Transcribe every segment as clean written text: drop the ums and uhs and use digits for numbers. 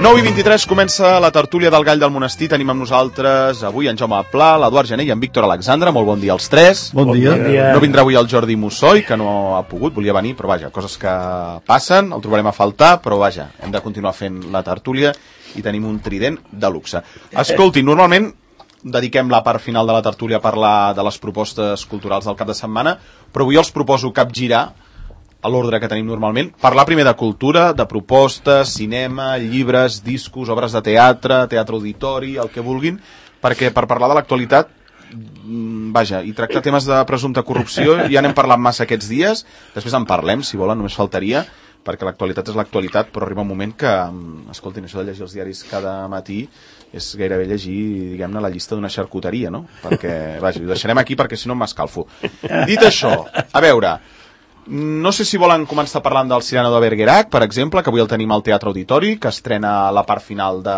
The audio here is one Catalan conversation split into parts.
9:23 comença la tertúlia del Gall del Monestir. Tenim amb nosaltres avui en Jaume Pla, l'Eduard Gené i en Víctor Alexandre. Molt bon dia als tres. Bon dia. No vindrà avui el Jordi Mussoi, que no ha pogut, volia venir, però vaja, coses que passen, el trobarem a faltar, però vaja, hem de continuar fent la tertúlia i tenim un trident de luxe. Escolti, normalment dediquem la part final de la tertúlia a parlar de les propostes culturals del cap de setmana, però avui els proposo capgirar a l'ordre que tenim normalment, parlar primer de cultura, de propostes, cinema, llibres, discos, obres de teatre, teatre auditori, el que vulguin, perquè per parlar de l'actualitat, vaja, i tractar temes de presumpta corrupció, ja n'hem parlat massa aquests dies, després en parlem, si volen, només faltaria, perquè l'actualitat és l'actualitat, però arriba un moment que, escoltin, això de llegir els diaris cada matí és gairebé llegir, diguem-ne, la llista d'una xarcuteria, no? Perquè, vaja, ho deixarem aquí perquè si no m'escalfo. Dit això, a veure, no sé si volen començar parlant del Cyrano de Bergerac, per exemple, que avui el tenim al Teatre Auditori, que estrena la part final de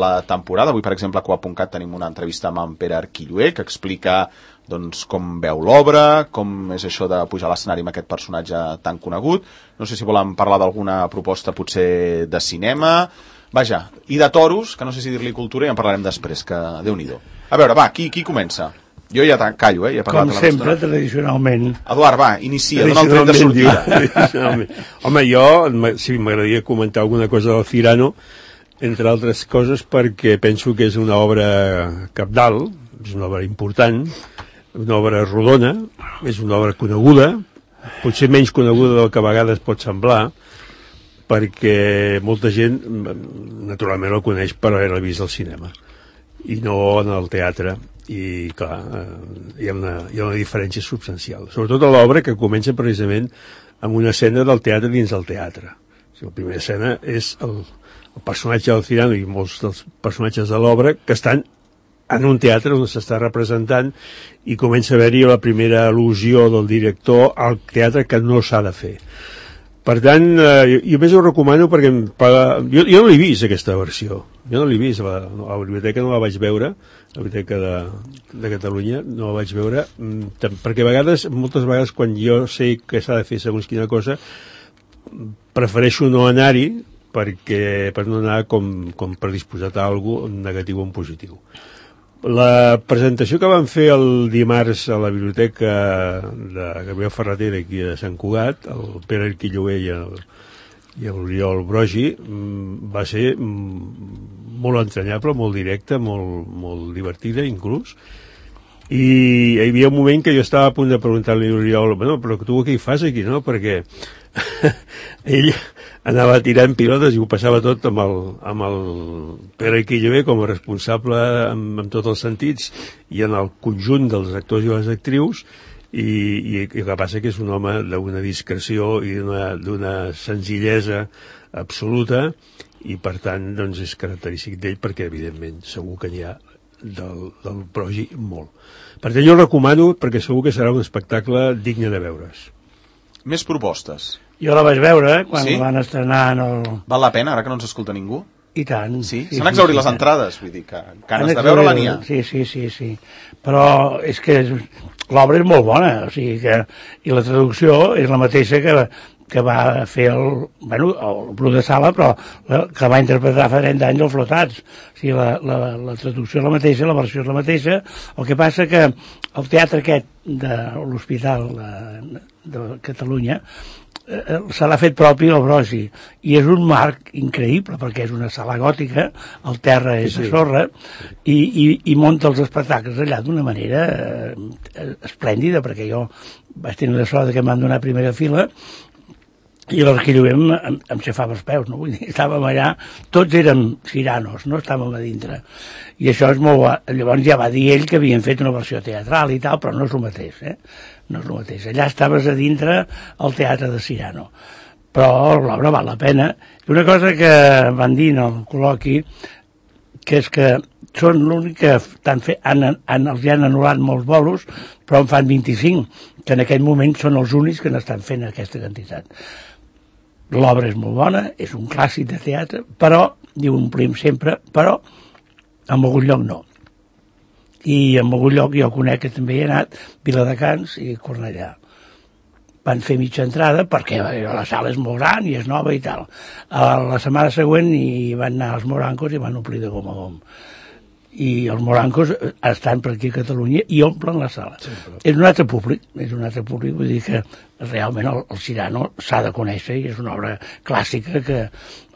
la temporada. Avui, per exemple, a Coa.cat tenim una entrevista amb en Pere Arquilloé, que explica doncs, com veu l'obra, com és això de pujar a l'escenari amb aquest personatge tan conegut. No sé si volen parlar d'alguna proposta potser de cinema, vaja, i de toros, que no sé si dir-li cultura, i en parlarem després, que Déu-n'hi-do. A veure, va, qui comença? Jo ja callo, ja he parlat. Com sempre, tradicionalment. Eduard, va, inicia, dona el tret de sortida. Home, jo sí m'agradaria comentar alguna cosa del Cyrano, entre altres coses perquè penso que és una obra cabdal, és una obra important, una obra rodona, és una obra coneguda, potser menys coneguda del que a vegades pot semblar, perquè molta gent naturalment el coneix per haver-la vist al cinema i no en el teatre. I clar, hi ha una diferència substancial, sobretot a l'obra, que comença precisament amb una escena del teatre dins del teatre. O sigui, la primera escena és el personatge del Cyrano i molts dels personatges de l'obra que estan en un teatre on s'està representant i comença a haver-hi la primera al·lusió del director al teatre que no s'ha de fer. Per tant, jo més ho recomano perquè jo no l'he vist, aquesta versió. Jo no l'he vist, a la biblioteca no la vaig veure, la biblioteca de Catalunya no la vaig veure, perquè moltes vegades quan jo sé que s'ha de fer segons quina cosa, prefereixo no anar-hi per no anar com predisposat a alguna cosa negatiu o en positiu. La presentació que van fer el dimarts a la biblioteca de Gabriel Ferrater aquí de Sant Cugat, el Pere Arquilloé i l'Oriol Brogi, va ser molt entranyable, molt directa, molt divertida inclús, i hi havia un moment que jo estava a punt de preguntar-li a l'Oriol, bueno, però tu què hi fas aquí, no? Perquè ell anava tirant pilotes i ho passava tot amb el Pere Arquilloé com a responsable en tots els sentits i en el conjunt dels actors i les actrius, i el que passa que és un home d'una discreció i d'una senzillesa absoluta, i per tant doncs és característic d'ell, perquè evidentment segur que n'hi ha del Brogi molt. Per tant jo el recomano perquè segur que serà un espectacle digne de veure's. Més propostes. Jo la vaig veure quan la van estrenar en el... Val la pena, ara que no ens escolta ningú? I tant. Sí? S'han exhaurit les entrades, vull dir que ganes de veure-la n'hi ha. Sí. Però és que l'obra és molt bona, o sigui que... I la traducció és la mateixa que va fer el Bru de Sala, però que va interpretar fa 30 anys els Flotats. O sigui, la traducció és la mateixa, la versió és la mateixa. El que passa que el teatre aquest de l'Hospital de Catalunya se l'ha fet propi el Brogi, i és un marc increïble perquè és una sala gòtica, el terra és de sorra, i munta els espectacles allà d'una manera esplèndida, perquè jo vaig tenir la sort que em van donar primera fila i l'Arquilloé em xafava els peus, no? Vull dir, estàvem allà, tots érem Cyranos, no? Estàvem a dintre, i això és molt bo. Llavors ja va dir ell que havien fet una versió teatral i tal, però no és el mateix, no és el mateix. Allà estaves a dintre al teatre de Cyrano, però l'obra val la pena. I una cosa que van dir en el col·loqui, que és que són l'únic que els han anul·lat molts bolos, però en fan 25, que en aquell moment són els únics que n'estan fent aquesta quantitat. L'obra és molt bona, és un clàssic de teatre, però, diu omplim sempre, però en algun lloc no. I en algun lloc jo conec que també hi he anat, Viladecans i Cornellà. van fer mitja entrada perquè la sala és molt gran i és nova i tal. La setmana següent hi van anar els morancos i van omplir de gom a gom. I els morancos estan per aquí a Catalunya i omplen la sala. Sí, però... És un altre públic, vull dir que realment el Cyrano s'ha de conèixer i és una obra clàssica que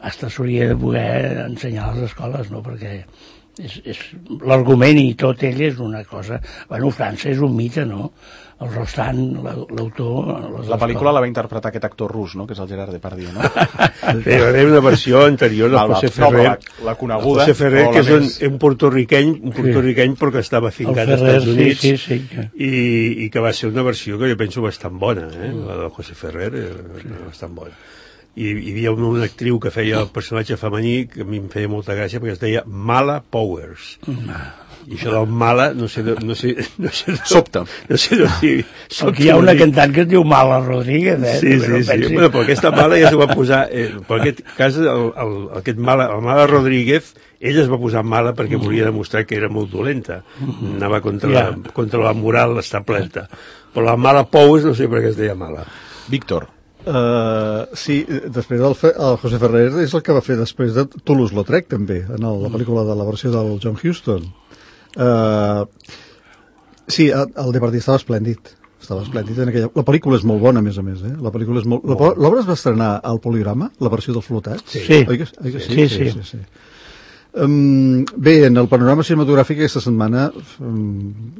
hasta s'hauria de poder ensenyar a les escoles, no? Perquè és l'argument i tot ell és una cosa... Bueno, França és un mite, no? El Rostand, l'autor... La pel·lícula la va interpretar aquest actor rus, no? Que és el Gerard Depardieu, no? Hi va haver una versió anterior de José Ferrer. La coneguda. José Ferrer, que és un portorriqueny però que està fincat als Estats Units i que va ser una versió que jo penso bastant bona, la de José Ferrer, bastant bona. I hi havia una actriu que feia el personatge femení que a mi em feia molta gràcia perquè es deia Mala Powers. I això del Mala, no sé Sobta. No sé d'on sigui. Aquí hi ha una cantant que es diu Mala Rodríguez, Sí. Bueno, però aquesta Mala ja s'ho va posar... Per aquest cas, el Mala Rodríguez, ella es va posar Mala perquè volia demostrar que era molt dolenta. Anava contra la moral establerta. Però la Mala Powers no sé per què es deia Mala. Víctor. Sí, després el José Ferrer és el que va fer després de Toulouse-Lautrec també, en la pel·lícula de la versió del John Huston. Sí, el Depardieu estava esplèndid en aquella... La pel·lícula és molt bona, a més, La pel·lícula és molt... L'obra es va estrenar al Poligrama, la versió del Flotat? Sí. Oi que sí? Sí. Bé, en el panorama cinematogràfic aquesta setmana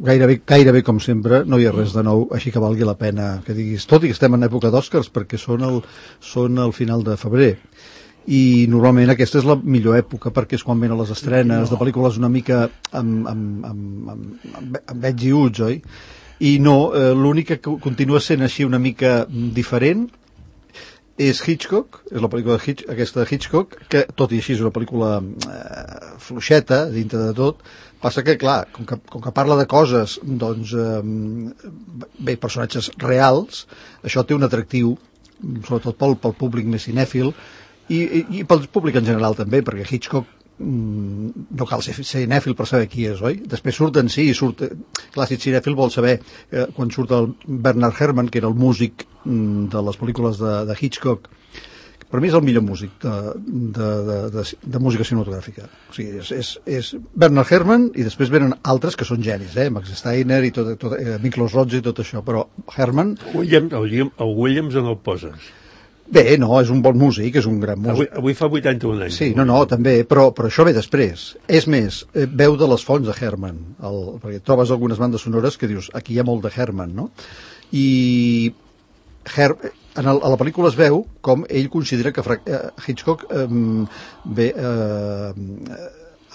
gairebé com sempre no hi ha res de nou, així que valgui la pena que diguis, tot i que estem en època d'Oscars perquè són al final de febrer i normalment aquesta és la millor època perquè és quan venen les estrenes de pel·lícules una mica amb veig i uts, oi? I no, l'únic que continua sent així una mica diferent és Hitchcock, és la pel·lícula aquesta de Hitchcock, que tot i així és una pel·lícula fluixeta dintre de tot, passa que, clar, com que parla de coses, doncs, personatges reals, això té un atractiu, sobretot pel públic més cinèfil, i pel públic en general també, perquè Hitchcock no cal ser cinèfil per saber qui és, oi? Després surt en si, clar, si ets cinèfil vol saber quan surt el Bernard Herrmann, que era el músic de les pel·lícules de Hitchcock, per mi és el millor músic de música cinematogràfica. O sigui, és Bernard Herrmann i després venen altres que són genis, Max Steiner i Miklos Rozsa i tot això, però Herrmann... El Williams on el poses? Bé, no, és un bon músic, és un gran músic. Avui fa 81 anys. Sí, no, també, però això ve després. És més, veu de les fonts de Herrmann, perquè trobes algunes bandes sonores que dius, aquí hi ha molt de Herrmann, no? I a la pel·lícula es veu com ell considera que Hitchcock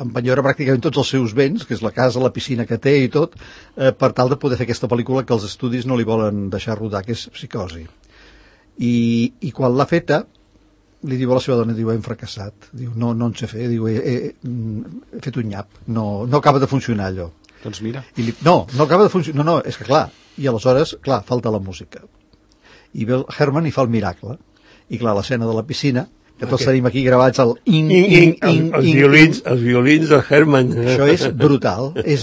empenyora pràcticament tots els seus béns, que és la casa, la piscina que té i tot, per tal de poder fer aquesta pel·lícula que els estudis no li volen deixar rodar, que és Psicosi. I quan l'ha feta li diu a la seva dona, diu, hem fracassat, diu, no en sé fer, diu, he fet un nyap, no acaba de funcionar allò. Doncs mira. No acaba de funcionar, no, és que clar, i aleshores, clar, falta la música. I ve el Herrmann i fa el miracle, i clar, l'escena de la piscina, que tots tenim aquí gravats el els violins de Herrmann. Això és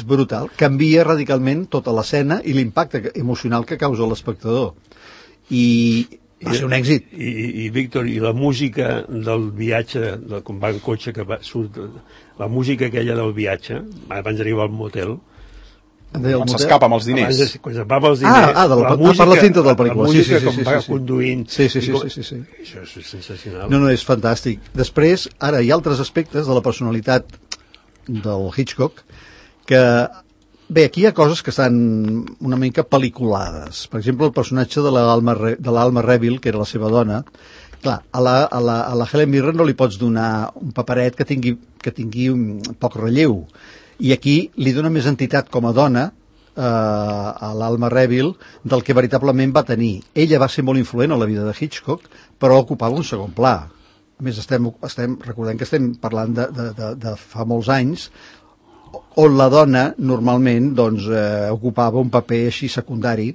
brutal, canvia radicalment tota l'escena i l'impacte emocional que causa l'espectador. I va ser un èxit. I Víctor, i la música del viatge, quan va en cotxe, surt la música aquella del viatge, abans d'arribar al motel, quan s'escapa amb els diners. Quan s'escapa amb els diners. Per la cinta de la pel·lícula. La música, com va conduint. Sí. Això és sensacional. No, és fantàstic. Després, ara hi ha altres aspectes de la personalitat del Hitchcock que... Bé, aquí hi ha coses que estan una mica pel·liculades. Per exemple, el personatge de l'Alma Reville, que era la seva dona. Clar, a la Helen Mirren no li pots donar un paperet que tingui un poc relleu. I aquí li dona més entitat com a dona a l'Alma Reville del que veritablement va tenir. Ella va ser molt influent a la vida de Hitchcock, però ocupava un segon pla. A més, recordem que estem parlant de fa molts anys, on la dona normalment ocupava un paper així secundari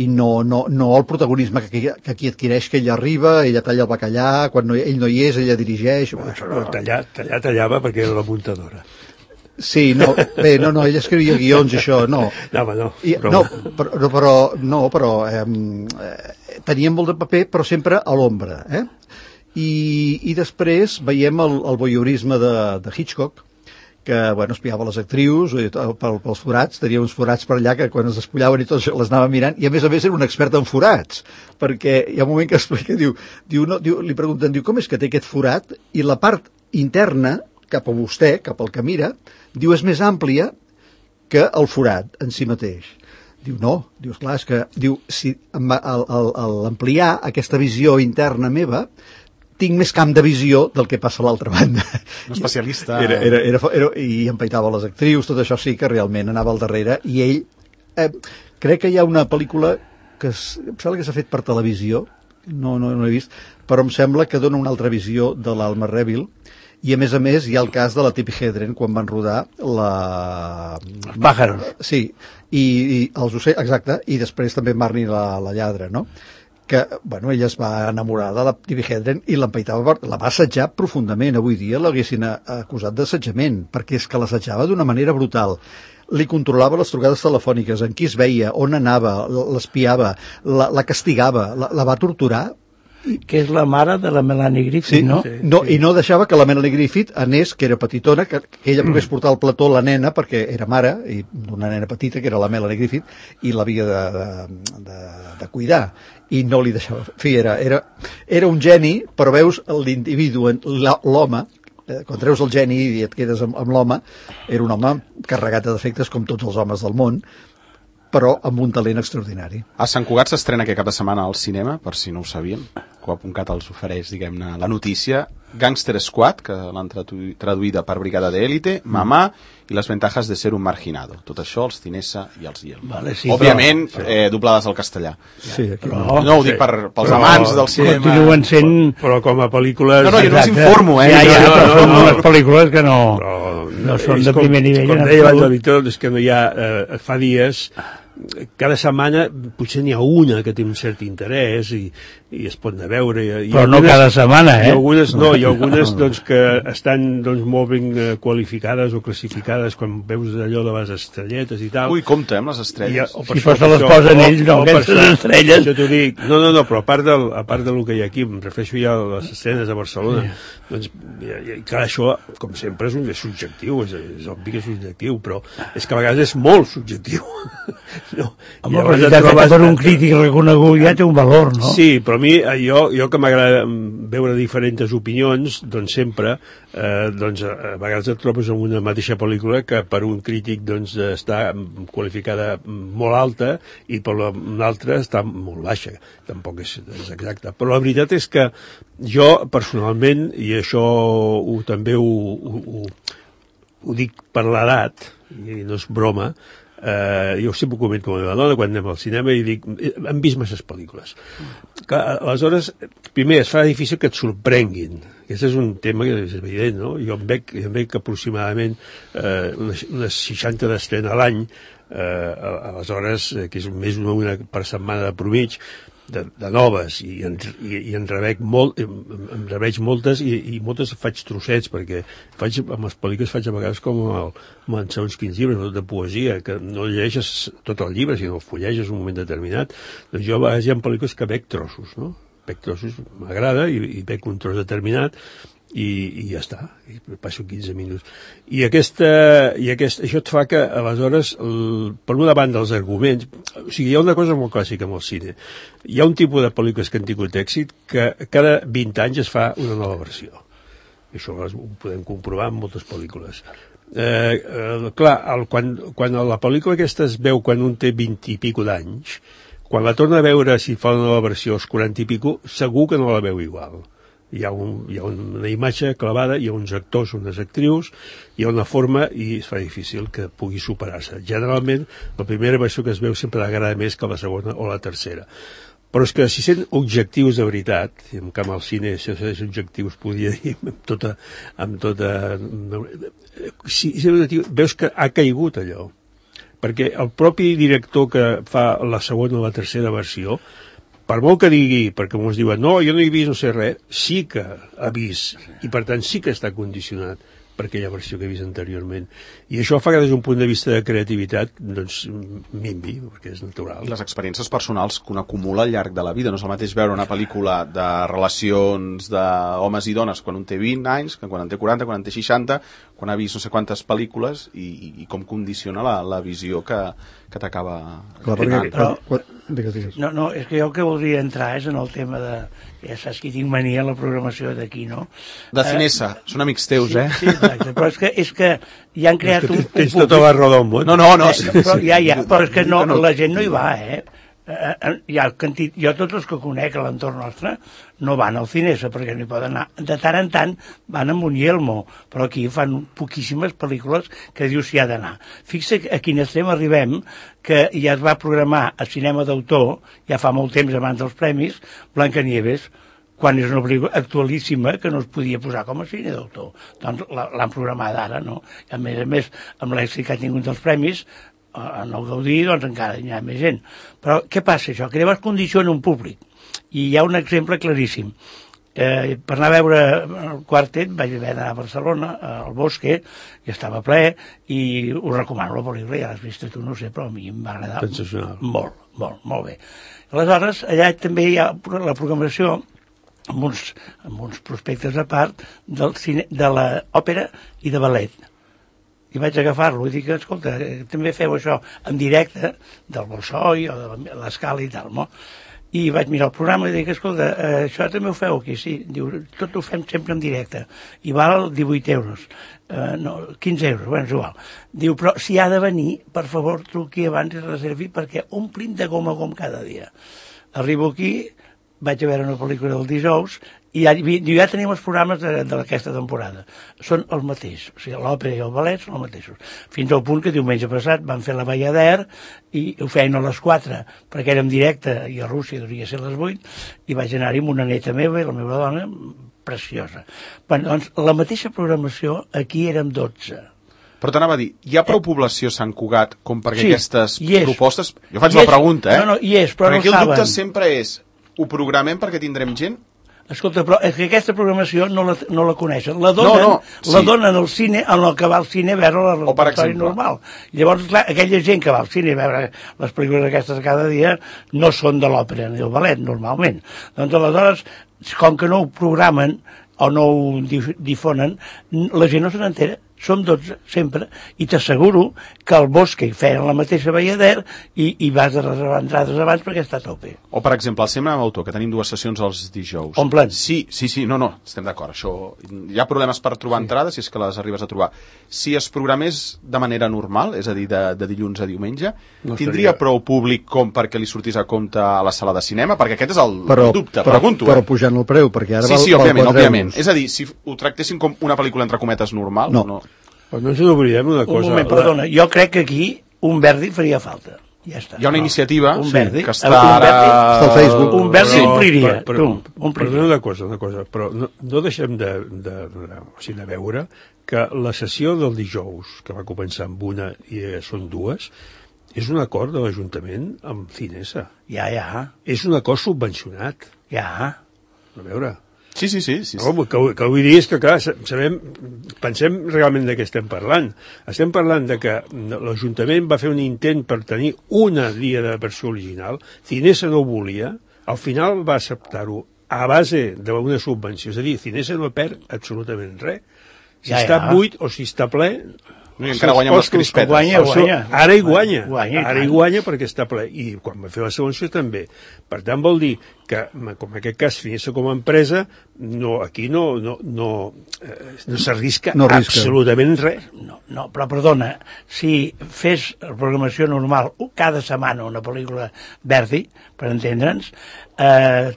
i no el protagonisme que aquí adquireix, que ella arriba, ella talla el bacallà, quan ell no hi és ella dirigeix. Tallava perquè era la muntadora. Sí, no, bé, no, ell escrivia guions i això, no. No, home, no. Però teníem molt de paper, però sempre a l'ombra, I després veiem el voyeurisme de Hitchcock, que, bueno, espiava les actrius pels forats, tenia uns forats per allà que quan es despullaven i tot les anava mirant, i a més era un expert en forats, perquè hi ha un moment que explica, li pregunten, com és que té aquest forat, i la part interna, cap a vostè, cap al que mira, és més àmplia que el forat en si mateix. No, esclar, és que, si a l'ampliar aquesta visió interna meva, tinc més camp de visió del que passa a l'altra banda. Un especialista. I empaitava les actrius, tot això sí que realment anava al darrere, i ell, crec que hi ha una pel·lícula que em sembla que s'ha fet per televisió, no l'he vist, però em sembla que dona una altra visió de l'Alma Reville, i a més hi ha el cas de la Tippi Hedren quan van rodar Els pàjaros. Sí, i els ocells, exacte, i després també Marnie la lladra, no? Que, bueno, ella es va enamorar de la Tippi Hedren i l'empaitava, la va assetjar profundament. Avui dia l'haguessin acusat d'assetjament, perquè és que l'assetjava d'una manera brutal. Li controlava les trucades telefòniques, en qui es veia, on anava, l'espiava, la castigava, la va torturar. Que és la mare de la Melanie Griffith, no? I no deixava que la Melanie Griffith anés, que era petitona, que ella pogués portar al plató la nena, perquè era mare, i d'una nena petita, que era la Melanie Griffith, i l'havia de cuidar, i no li deixava. En fi, era un geni, però veus l'individu, l'home, quan treus el geni i et quedes amb l'home, era un home carregat de defectes com tots els homes del món, però amb un talent extraordinari. A Sant Cugat s'estrena aquest cap de setmana al cinema, per si no ho sabien. Coap.cat els ofereix, diguem-ne, la notícia. Gangster Squad, que l'han traduïda per Brigada de Élite, Mamà i Les ventajas de ser un marginado. Tot això els Cinesa i els Yelmo. Vale, sí, òbviament, doblades al castellà. Sí, no ho dic pels amants del cinema. Continuen sent... Però com a pel·lícules... No, jo no us informo, però són unes pel·lícules que no són de primer nivell. Com deia abans el Víctor, és que no hi ha... Fa dies... Cada setmana potser n'hi ha una que té un cert interès i es pot anar a veure. Però no cada setmana, I algunes doncs, que estan molt ben qualificades o classificades, quan veus allò de les estrelletes i tal. Ui, compte, amb les estrelles. Si per se les posen ells, no, aquestes estrelles. Jo t'ho dic, no, però a part del que hi ha aquí, em refereixo ja a les escenes a Barcelona, doncs, clar, això, com sempre, és subjectiu, és obvi que és subjectiu, però és que a vegades és molt subjectiu. No. Home, la veritat és que per un crític reconegut ja té un valor, no? Sí, però a mi, jo que m'agrada veure diferents opinions, doncs sempre, a vegades et trobes en una mateixa pel·lícula que per un crític doncs, està qualificada molt alta i per un altre està molt baixa. Tampoc és exacte. Però la veritat és que jo, personalment, i això també ho dic per l'edat, i no és broma, jo sempre ho comento amb la meva dona quan anem al cinema i dic, hem vist masses pel·lícules. Aleshores, primer, es fa difícil que et sorprenguin. Aquest és un tema que és evident, no? Jo em veig aproximadament unes 60 d'estrena a l'any, aleshores, que és més una per setmana de promig, de noves, i en reveig moltes i moltes faig trossets, perquè amb les pel·lícules faig a vegades com en segons quins llibres de poesia, que no llegeixes tot el llibre sinó el fulleges un moment determinat. Doncs jo a vegades hi ha pel·lícules que veig trossos, no? Veig trossos, m'agrada i veig un tros determinat i ja està, i passo 15 minuts. I això et fa que, aleshores, per una banda, els arguments... O sigui, hi ha una cosa molt clàssica amb el cine. Hi ha un tipus de pel·lícules que han tingut èxit que cada 20 anys es fa una nova versió. Això ho podem comprovar en moltes pel·lícules. Clar, quan la pel·lícula aquesta es veu quan un té 20 i pico d'anys, quan la torna a veure, si fa una nova versió als 40 i pico, segur que no la veu igual. Hi ha una imatge clavada, hi ha uns actors, unes actrius, hi ha una forma i es fa difícil que pugui superar-se. Generalment, la primera versió que es veu sempre agrada més que la segona o la tercera. Però és que si sent objectius de veritat, i en camp al cine, si és objectius, podria dir, veus que ha caigut allò. Perquè el propi director que fa la segona o la tercera versió, per molt que digui, perquè ens diuen no, jo no he vist no sé res, sí que ha vist, i per tant sí que està condicionat per aquella versió que he vist anteriorment. I això fa que des d'un punt de vista de creativitat doncs minvi, perquè és natural. I les experiències personals que un acumula al llarg de la vida. No és el mateix veure una pel·lícula de relacions d'homes i dones quan un té 20 anys, que quan en té 40, quan en té 60, quan ha vist no sé quantes pel·lícules i com condiciona la visió que t'acaba... Clar, perquè... Digues. No, és que jo el que voldria entrar és en el tema de... Ja saps que tinc mania a la programació d'aquí, no? De Cinesa, són amics teus, sí, Sí, exacte, però és que ja han creat un Tens tota la raó del món. No. Però però és que no, la gent no hi va, jo tots els que conec a l'entorn nostre no van al Cinesa perquè no hi poden anar. De tant en tant van a Munyelmo, però aquí fan poquíssimes pel·lícules que dius si ha d'anar. Fixa a quin extrem arribem, que ja es va programar a cinema d'autor, ja fa molt temps abans dels premis, Blancanieves, quan és una pel·lícula actualíssima que no es podia posar com a cine d'autor. Doncs l'han programada ara, no? I a més, amb l'èxit que ha tingut dels premis, en el Gaudí, doncs encara hi ha més gent. Però què passa això? Que llavors condiciona un públic. I hi ha un exemple claríssim. Per anar a veure el quartet vaig haver d'anar a Barcelona, al Bosque, i estava ple, i us recomano la pel·lícula, ja l'has vist tu, no sé, però a mi em va agradar molt bé. Aleshores, allà també hi ha la programació amb uns prospectes a part de l'òpera i de ballet. I vaig agafar-lo i dic, escolta, també feu això en directe del Bolshoi o de l'Escala i tal, no? I vaig mirar el programa i dic, escolta, això també ho feu aquí? Sí, diu, tot ho fem sempre en directe i val 18 euros, no, 15 euros, bueno, és igual. Diu, però si ha de venir, per favor, truqui abans i reservi perquè omplim de gom a gom cada dia. Arribo aquí, vaig a veure una pel·lícula del dijous i ja tenim els programes d'aquesta temporada. Són el mateix, o sigui, l'òpera i el ballet són els mateixos. Fins al punt que diumenge passat van fer la Bayadère i ho feien a les 4 perquè era en directe i a Rússia devia ser a les 8 i vaig anar-hi amb una neta meva i la meva dona, preciosa. Bueno, doncs la mateixa programació aquí érem 12. Però t'anava a dir, hi ha prou població a Sant Cugat com perquè aquestes propostes... Jo faig la pregunta, No, hi és, però no perquè ho saben. Perquè el dubte sempre és, ho programem perquè tindrem gent? Escolta, però és que aquesta programació no la coneixen. La donen al cine, en el que va al cine a veure la repertori normal. Llavors, clar, aquella gent que va al cine a veure les pel·lícules aquestes cada dia no són de l'òpera ni del ballet, normalment. Doncs aleshores, com que no ho programen o no ho difonen, la gent no se n'entera. Som 12, sempre, i t'asseguro que al Bosque feien la mateixa Bayadère i vas a reservar entrades abans perquè està a tope. O, per exemple, al Cinema Autor, que tenim 2 sessions els dijous. Omplen. Sí, no, estem d'acord. Això, hi ha problemes per trobar entrades, si és que les arribes a trobar. Si es programés de manera normal, és a dir, de dilluns a diumenge, tindria prou públic com perquè li sortís a compte a la sala de cinema? Perquè aquest és el dubte, pregunto. Però pujant el preu, perquè ara Sí, òbviament. És a dir, si ho tractessin com una pel·lícula entre cometes normal, no. Però no ens oblidem una cosa. Un moment, perdona, jo crec que aquí un Verdi faria falta. Ja està. Hi ha una iniciativa que està ara... Està al Facebook. Un Verdi ompliria. Perdona una cosa, però no deixem de veure que la sessió del dijous, que va començar amb una i són 2, és un acord de l'Ajuntament amb Cinesa. Ja. És un acord subvencionat. Ja. A veure... Sí. No, que vull dir és que, clar, pensem realment de què estem parlant. Estem parlant de que l'Ajuntament va fer un intent per tenir una dia de versió original, Cinesa no ho volia, al final va acceptar-ho a base d'una subvenció, és a dir, Cinesa no perd absolutament res. Si està buit o si està ple... No, i encara guanya amb les crispetes. Guanya. Ara hi guanya perquè està ple. I quan va fer la subvenció també. Per tant, vol dir que, com en aquest cas, Cinesa com a empresa, aquí no s'arrisca absolutament res. No, però perdona, si fes la programació normal cada setmana una pel·lícula Verdi, per entendre'ns,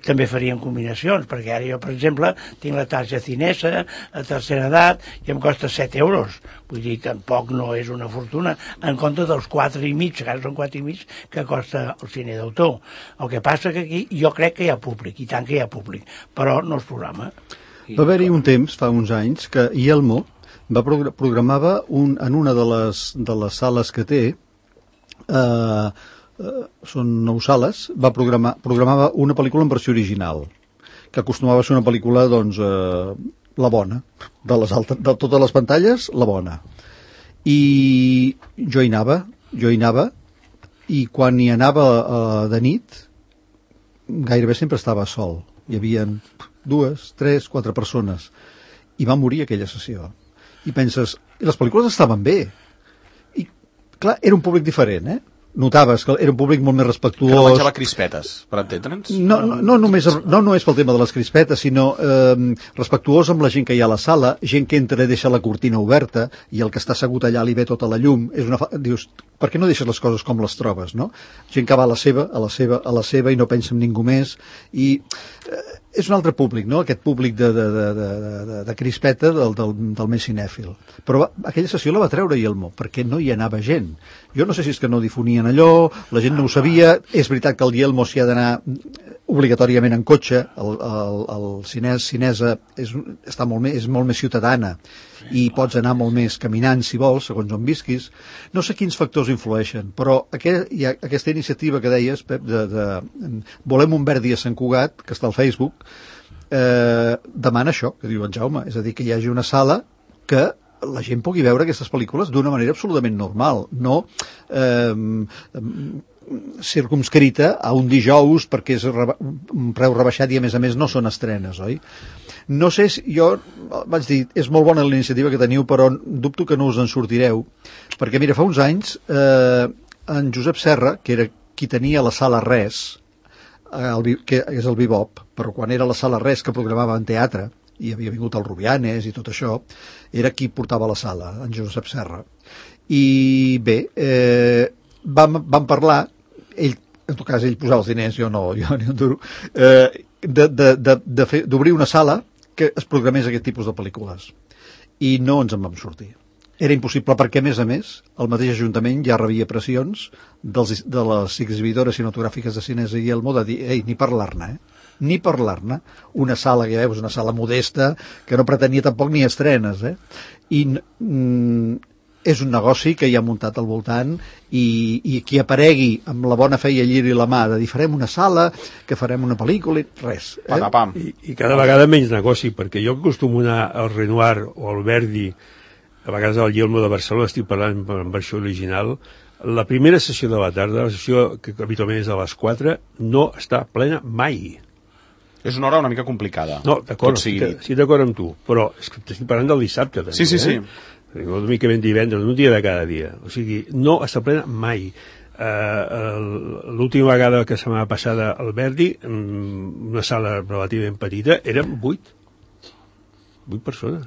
també farien combinacions, perquè ara jo, per exemple, tinc la tarja Cinesa a tercera edat i em costa 7 euros. Vull dir, tampoc no és una fortuna, en compte dels 4,5, que ara són 4,5, que costa el cine d'autor. El que passa que aquí jo crec que hi ha públic, i tant que hi ha públic, però no es programa. Va haver-hi un temps, fa uns anys, que Ielmo programava en una de les sales que té, són 9 sales, programava una pel·lícula en versió original, que acostumava a ser una pel·lícula, doncs, la bona, de totes les pantalles, la bona. I jo hi anava, i quan hi anava de nit, gairebé sempre estava sol. Hi havia 2, 3, 4 persones. I va morir aquella sessió. I penses, i les pel·lícules estaven bé. I, clar, era un públic diferent, Notaves que era un públic molt més respectuós. Que no menjava crispetes, per entendre'ns? No només pel tema de les crispetes, sinó respectuós amb la gent que hi ha a la sala, gent que entra i deixa la cortina oberta i el que està assegut allà li ve tota la llum. Dius, per què no deixes les coses com les trobes, no? Gent que va a la seva i no pensa en ningú més. I és un altre públic, no? Aquest públic de crispeta del més cinèfil. Però aquella sessió la va treure Yelmo, perquè no hi anava gent. Jo no sé si és que no difonien allò, la gent no ho sabia. És veritat que el Yelmo s'hi ha d'anar obligatòriament en cotxe. El cinesa és molt més ciutadana i pots anar molt més caminant si vols, segons on visquis. No sé quins factors influeixen, però hi ha aquesta iniciativa que deies, Pep, de Volem un Verdi a Sant Cugat, que està al Facebook, demana això, que diu en Jaume, és a dir, que hi hagi una sala que la gent pugui veure aquestes pel·lícules d'una manera absolutament normal, no circumscrita a un dijous perquè és un preu rebaixat i a més no són estrenes, oi? No sé si jo vaig dir, és molt bona la iniciativa que teniu, però dubto que no us en sortireu, perquè mira, fa uns anys en Josep Serra, que era qui tenia la sala Res, que és el Bebop, però quan era la sala Res que programava en teatre, i havia vingut el Rubianes i tot això, era qui portava la sala, en Josep Serra. I bé, vam parlar, ell, en tot cas ell posava els diners, jo ni un duro, d'obrir una sala que es programés aquest tipus de pel·lícules. I no ens en vam sortir. Era impossible perquè, a més, el mateix Ajuntament ja rebia pressions de les exhibidores cinematogràfiques de Cinesa i Yelmo de dir, ei, ni parlar-ne, ni parlar-ne. Una sala, que ja veus, una sala modesta, que no pretenia tampoc ni estrenes, I és un negoci que hi ha muntat al voltant i qui aparegui amb la bona fe i el lliri i la mà de dir farem una sala, que farem una pel·lícula, res. Patapam. I cada vegada menys negoci, perquè jo acostumo a anar al Renoir o al Verdi, a vegades al Yelmo de Barcelona, estic parlant en versió original, la primera sessió de la tarda, la sessió que habitualment és a les 4, no està plena mai. És una hora una mica complicada. No, d'acord, sí, d'acord amb tu, però és que estic parlant del dissabte, també. Sí. Una mica ben divendres, un dia de cada dia. O sigui, no està plena mai. L'última vegada que setmana passada al Verdi, una sala relativament petita, eren 8 persones.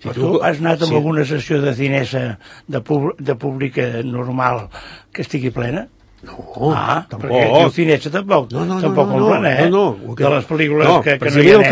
Si tu has anat amb alguna sessió de cinesa de pública normal que estigui plena? No, tampoc. Perquè el cinesa tampoc plena, No. De les pel·lícules que no hi anem. El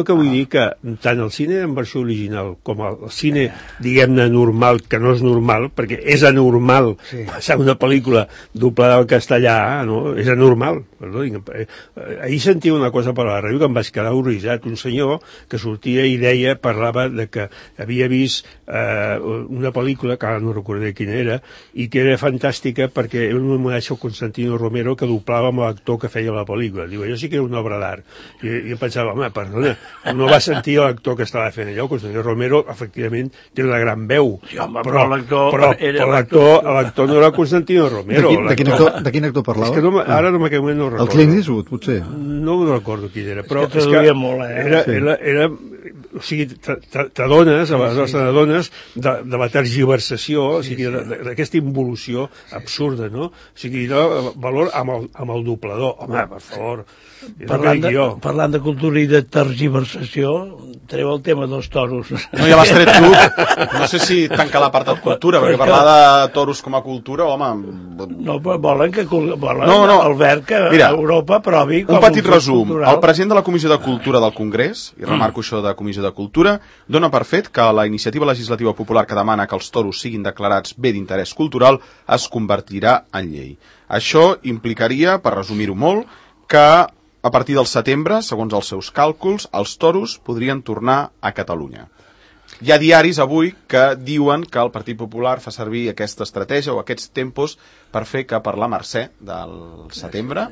que vull dir que tant el cine en versió original com el cine, diguem-ne, normal, que no és normal, perquè és anormal passar una pel·lícula doblada al castellà, no? És anormal. Ahir sentia una cosa per la ràdio que em vaig quedar horroritzat. Un senyor que sortia i parlava de que havia vist una pel·lícula, que ara no recordaré quina era, i que era fantàstica perquè era un homenatge al Constantino Romero que doblava amb l'actor que feia la pel·lícula. Diu, allò sí que era una obra d'art. I jo pensava, home, perdona, no va sentir l'actor que estava fent allò. Constantino Romero, efectivament, té una gran veu. Sí, home, però l'actor no era Constantino Romero. De quin actor parlava? És que ara en aquell moment no ho recordo. El Clint Eastwood, potser? No ho recordo qui era, però és que molt, era o sigui, t'adones, aleshores t'adones de la tergiversació, o sigui, d'aquesta involució absurda, no? O sigui, valor amb el doblador. Home, per favor, parlant de cultura i de tergiversació, treu el tema dels toros. No, ja l'has tret tu. No sé si tancar l'apartat cultura, perquè parlar de toros com a cultura, home... No, però volen Albert que Europa provi com un petit resum. El president de la Comissió de Cultura del Congrés, i remarco això de Comissió de Cultura, dona per fet que la iniciativa legislativa popular que demana que els toros siguin declarats bé d'interès cultural es convertirà en llei. Això implicaria, per resumir-ho molt, que a partir del setembre, segons els seus càlculs, els toros podrien tornar a Catalunya. Hi ha diaris avui que diuen que el Partit Popular fa servir aquesta estratègia o aquests tempos per fer que per la Mercè del setembre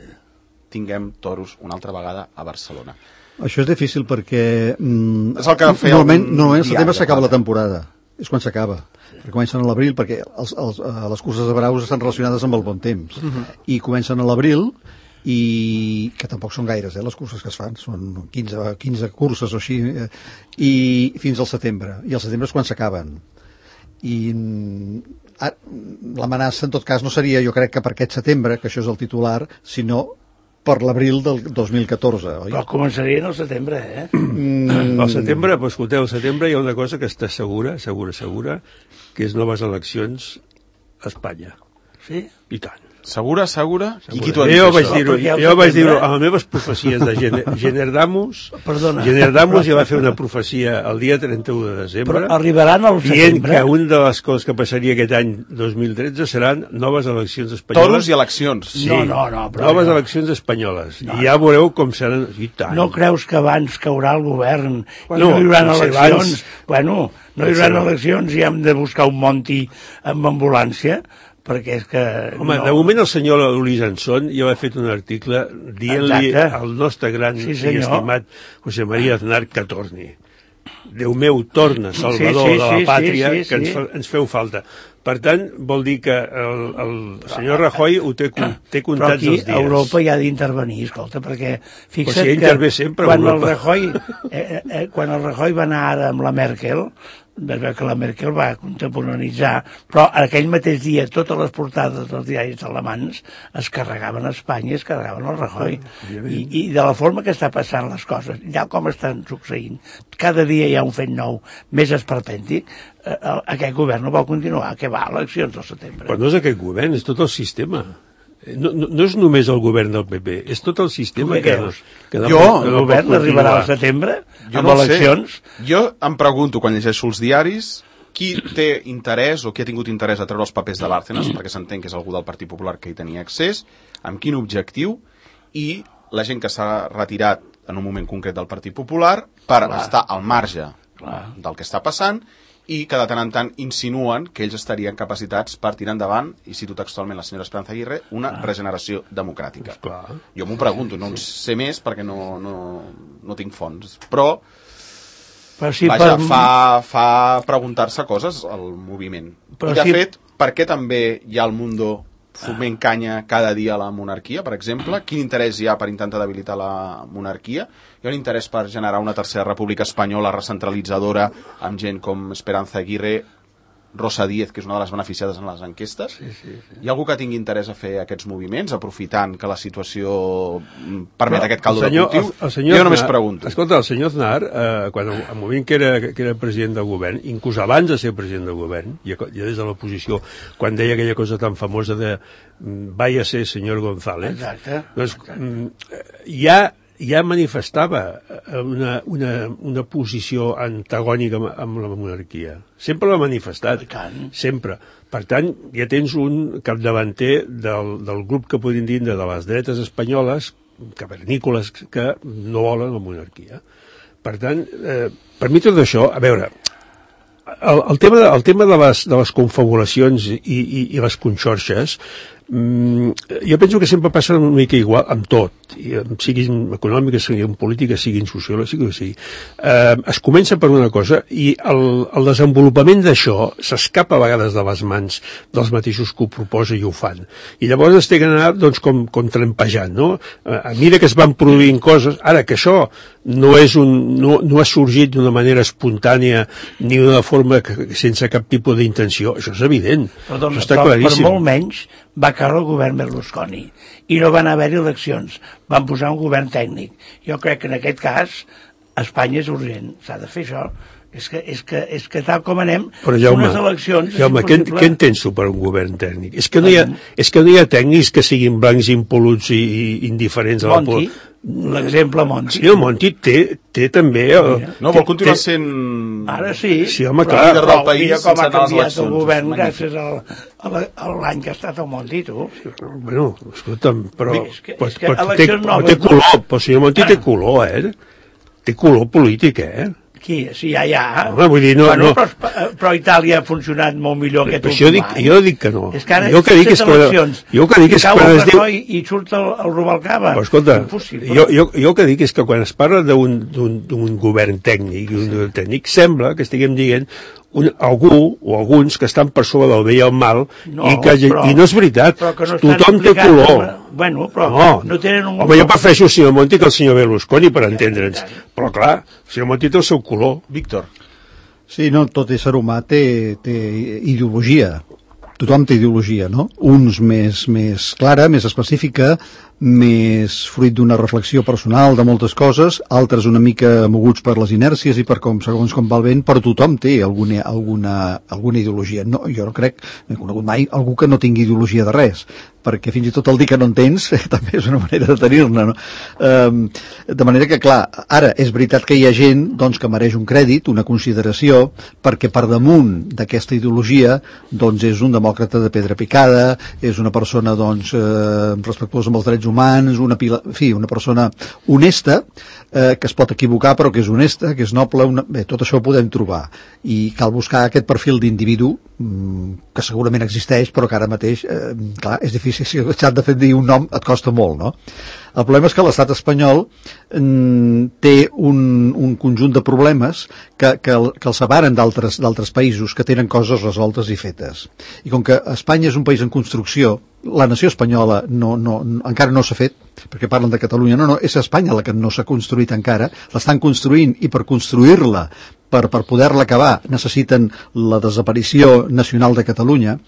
tinguem toros una altra vegada a Barcelona. Això és difícil perquè És el que feia normalment al setembre diari, s'acaba la clar. temporada. És quan s'acaba. Perquè comencen a l'abril, perquè les curses de braus estan relacionades amb el bon temps. I comencen a l'abril, i que tampoc són gaires, les curses que es fan, són 15 curses o així, i fins al setembre. I al setembre és quan s'acaben. I l'amenaça, en tot cas, no seria, jo crec que per aquest setembre, que això és el titular, sinó per l'abril del 2014, oi? Però començarien al setembre, Al setembre, doncs, escolteu, al setembre hi ha una cosa que està segura, que és noves eleccions a Espanya. Sí? I tant. Segura? I qui t'ho ha dit, Jo això? vaig dir-ho a les meves profecies de Generdamus. Perdona. Generdamus ja va fer una profecia el dia 31 de desembre. Però arribaran al dient setembre. que una de les coses que passaria aquest any 2013 seran noves eleccions espanyoles. Toros i eleccions. Sí, No, però noves no. eleccions espanyoles. I ja veureu com seran. I tant. No creus que abans caurà el govern Bueno, i no hi haurà no sé, eleccions? Bueno, no hi haurà no. eleccions i hem de buscar un Monti amb ambulància, perquè és que... Home, no. de moment el senyor Luis Anson ja va fet un article dient-li Exacte. al nostre gran Sí, i senyor. estimat José María Aznar que torni. Déu meu, torna, salvador Sí, de la pàtria, sí. que ens feu falta. Per tant, vol dir que el senyor Rajoy ho té Però comptats aquí els dies. Europa hi ha d'intervenir, escolta, perquè fixa't Però si que intervé sempre quan el Europa. Rajoy, quan el Rajoy va anar ara amb la Merkel, vas veure que la Merkel va contemporanitzar, però aquell mateix dia totes les portades dels diaris alemans es carregaven a Espanya, es carregaven al Rajoy. I de la forma que està passant les coses, ja com estan succeint, cada dia hi ha un fet nou, més esperpèntic, aquest govern no vol continuar, que va a eleccions al setembre. Però no és aquest govern, és tot el sistema. No és només el govern del PP, és tot el sistema Tu què creus? que Jo, El govern arribarà al setembre Jo amb no ho eleccions? sé. Jo em pregunto, quan llegeixo els diaris, qui té interès o qui ha tingut interès a treure els papers de Bárcenas, perquè s'entén que és algú del Partit Popular que hi tenia accés, amb quin objectiu, i la gent que s'ha retirat en un moment concret del Partit Popular per estar al marge del que està passant, i que de tant en tant insinuen que ells estarien capacitats per tirar endavant, i cito textualment la senyora Esperanza Aguirre, una regeneració democràtica. Clar. Jo m'ho pregunto, no en sé més perquè no tinc fons, però Sí, vaja, fa preguntar-se coses al moviment. Però I de sí- fet, per què també hi ha el Mundo foment canya cada dia a la monarquia, per exemple? Quin interès hi ha per intentar debilitar la monarquia? Hi ha un interès per generar una tercera república espanyola recentralitzadora amb gent com Esperanza Aguirre, Rosa Díez, que és una de les beneficiades en les enquestes? Sí. Hi ha algú que tingui interès a fer aquests moviments, aprofitant que la situació permet aquest caldo de cultiu? Jo només pregunto. Escolta, el senyor Aznar, quan al moment que era president del govern, inclús abans de ser president del govern, ja des de l'oposició, quan deia aquella cosa tan famosa de vaya ser senyor González, Exacte. doncs ja manifestava una posició antagònica amb la monarquia. Sempre l'ha manifestat. I tant. Sempre. Per tant, ja tens un capdavanter del grup que podríem dir de les dretes espanyoles, cavernícoles, que no volen la monarquia. Per tant, per mi tot això, a veure, el tema de les confabulacions i les conxorxes, jo penso que sempre passa una mica igual amb tot, siguin econòmiques, siguin polítiques, siguin sociològiques, sigui el que sigui. Es comença per una cosa i el desenvolupament d'això s'escapa a vegades de les mans dels mateixos que ho proposa i ho fan. I llavors es té que anar doncs, com trempejant, no? Mira que es van produint coses, ara que això no ha sorgit d'una manera espontània ni d'una forma sense cap tipus d'intenció, això és evident, Perdona, això està però claríssim. per molt menys va caure el govern Berlusconi i no van haver-hi eleccions, van posar un govern tècnic. Jo crec que en aquest cas Espanya és urgent, s'ha de fer això. És que tal com anem, Però Jaume, unes eleccions... què entens tu per un govern tècnic? És que no hi ha tècnics que siguin blancs impoluts i indiferents a la Monti, l'exemple Monti. Sí, el Monti té també... No, vol continuar sent... Ara sí, Sí, home, però clar. líder del país mira com sense ha anar a les canviat el eleccions. govern Magnífic. gràcies a l'any que ha estat el Monti, tu. Bueno, escolta'm, però... És que eleccions noves, té color, però el senyor Monti té color, té color polític, Aquí, sí, ja. Home, vull dir, no... Però Itàlia ha funcionat molt millor aquest últim any. Jo dic que no. És que ara jo que dic és que quan es diu... I surt el Rubalcaba. Però escolta, jo que dic és que quan es parla d'un govern tècnic, sembla que estiguem dient algú o alguns que estan per sobre del bé i el mal i no és veritat, tothom té color. Bueno, però no tenen un... Home, jo prefereixo el senyor Monti que el senyor Berlusconi, per entendre'ns, però clar, el senyor Monti té el seu color. Víctor. Sí, no, tot ésser humà té ideologia. Tothom té ideologia, no? Uns més clara, més específica, més fruit d'una reflexió personal de moltes coses, altres una mica moguts per les inèrcies i per segons com va el vent, però tothom té alguna ideologia. No, jo no crec, no he conegut mai algú que no tingui ideologia de res, perquè fins i tot el dir que no en tens també és una manera de tenir-ne, no? De manera que, clar, ara és veritat que hi ha gent doncs, que mereix un crèdit, una consideració, perquè per damunt d'aquesta ideologia doncs és un demòcrata de pedra picada, és una persona doncs, respectuosa amb els drets humans, una persona honesta, que es pot equivocar però que és honesta, que és noble, bé, tot això ho podem trobar i cal buscar aquest perfil d'individu que segurament existeix però que ara mateix, clar, és difícil, si s'ha de fer dir un nom et costa molt, no? El problema és que l'estat espanyol té un conjunt de problemes que el separen d'altres països que tenen coses resoltes i fetes. I com que Espanya és un país en construcció, la nació espanyola encara no s'ha fet, perquè parlen de Catalunya, no, és Espanya la que no s'ha construït encara, l'estan construint i per construir-la, per poder-la acabar, necessiten la desaparició nacional de Catalunya,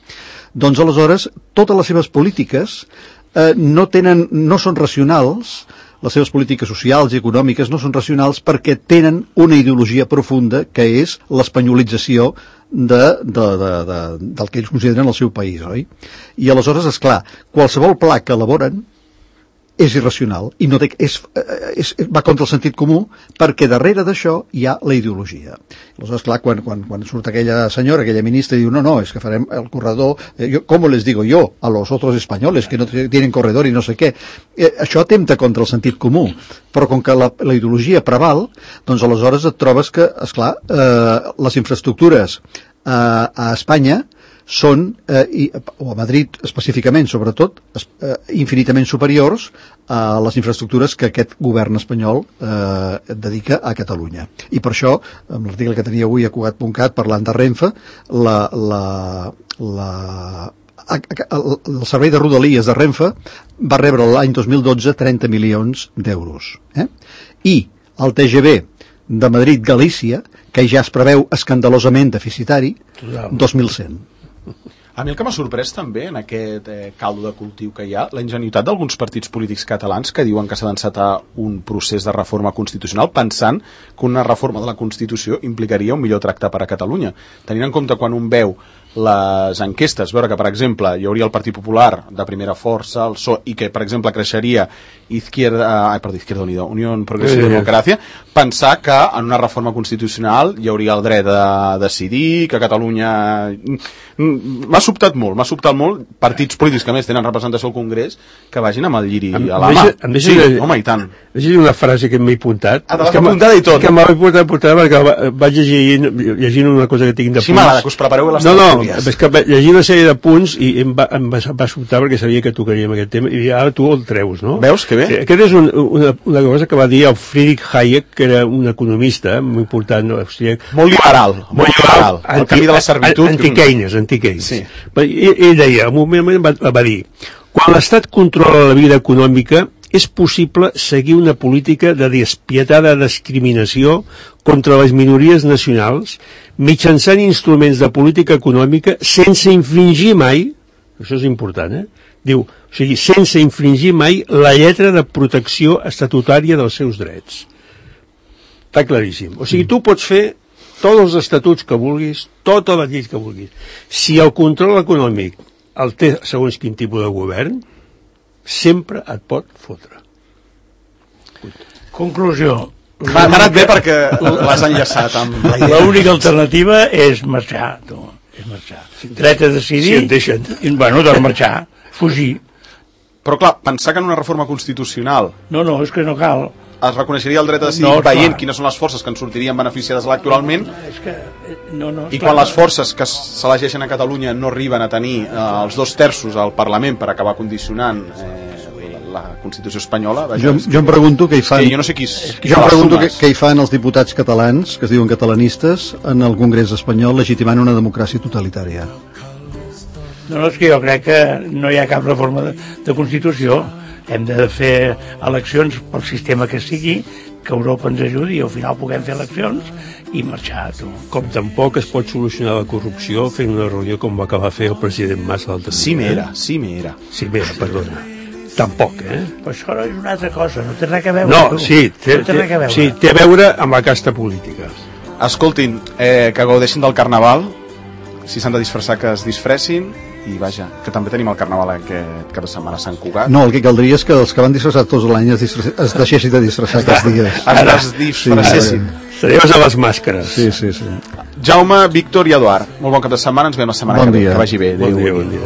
doncs aleshores totes les seves polítiques no són racionals, les seves polítiques socials i econòmiques no són racionals perquè tenen una ideologia profunda que és l'espanyolització del que ells consideren el seu país, oi? I aleshores, esclar, qualsevol pla que elaboren és irracional i va contra el sentit comú perquè darrere d'això hi ha la ideologia. Aleshores, clar, quan surt aquella senyora, aquella ministra i diu no, és que farem el corredor, ¿cómo les digo yo a los otros españoles que no tienen corredor i no sé què? Això atempta contra el sentit comú, però com que la ideologia preval, doncs aleshores et trobes que, esclar, les infraestructures a Espanya són, o a Madrid específicament, sobretot, infinitament superiors a les infraestructures que aquest govern espanyol dedica a Catalunya. I per això, amb l'article que tenia avui a Cugat.cat parlant de Renfe, el servei de Rodalies de Renfe va rebre l'any 2012 30 milions d'euros. I el TGV de Madrid-Galícia, que ja es preveu escandalosament deficitari, 2.100. A mi el que m'ha sorprès també en aquest caldo de cultiu que hi ha, la ingenuïtat d'alguns partits polítics catalans que diuen que s'ha d'encetar un procés de reforma constitucional pensant que una reforma de la Constitució implicaria un millor tracte per a Catalunya. Tenint en compte quan un veu les enquestes, veure que, per exemple, hi hauria el Partit Popular de primera força, el PSOE, i que, per exemple, creixeria Izquierda Unió Progressiva i Democràcia, pensar que en una reforma constitucional hi hauria el dret a decidir, que Catalunya... M'ha sobtat molt partits polítics que més tenen representació al Congrés que vagin amb el lliri a la mà. Sí, home, i tant. Deixa una frase que m'he apuntat. Ah, te l'has apuntada i tot. Que m'ha apuntat perquè vaig llegint una cosa que tinc de punts. Sí, m'agrada que us prepareu les tertúlies. És que llegint una sèrie de punts i em va sobtar perquè sabia que tocaríem aquest tema i ara tu el treus, no? Veus, que bé? Aquest és una cosa que va dir el Friedrich Hayek, que era un economista molt important, austríac. Molt liberal. El camí de la servitud. Anti-Keynes. Sí. Ell deia, en un moment va dir, quan l'Estat controla la vida econòmica és possible seguir una política de despietada discriminació contra les minories nacionals mitjançant instruments de política econòmica sense infringir mai, això és important, diu, o sigui, sense infringir mai la lletra de protecció estatutària dels seus drets. Està claríssim. O sigui, tu pots fer tots els estatuts que vulguis, totes les lleis que vulguis. Si el control econòmic el té segons quin tipus de govern, sempre et pot fotre. Conclusió. M'ha anat bé perquè l'has enllaçat amb la idea. L'única alternativa és marxar, tu. És marxar. Dret a decidir. Si et deixen. Bueno, doncs marxar, fugir. Però clar, pensar que en una reforma constitucional... No, és que no cal. es reconeixeria el dret a decidir veient quines són les forces que ens sortirien beneficiades electoralment, i quan les forces que s'elegeixen a Catalunya no arriben a tenir els 2/3 al Parlament per acabar condicionant la Constitució espanyola, jo em pregunto què hi fan, jo no sé què hi fan els diputats catalans que es diuen catalanistes en el Congrés espanyol legitimant una democràcia totalitària. No, és que jo crec que no hi ha cap reforma de Constitució. Hem de fer eleccions pel sistema que sigui, que Europa ens ajudi i al final puguem fer eleccions i marxar. Com tampoc es pot solucionar la corrupció fent una reunió com va acabar fer el president Mas l'altre dia. Cimera, perdona. Tampoc, Però això és una altra cosa, no té res a veure. No, té a veure amb la casta política. Escoltin, que gaudeixin del Carnaval, si s'han de disfressar que es disfressin, i vaja, que també tenim el Carnaval aquest cap de setmana a Sant Cugat. No, el que caldria és que els que van disfressar tots l'any es deixessin de disfressar aquests dies. Es disfressessin. Seriós a les màscares. Sí. Jaume, Víctor i Eduard, molt bon cap de setmana, ens veiem la setmana que ve. Que vagi bé. Bon dia.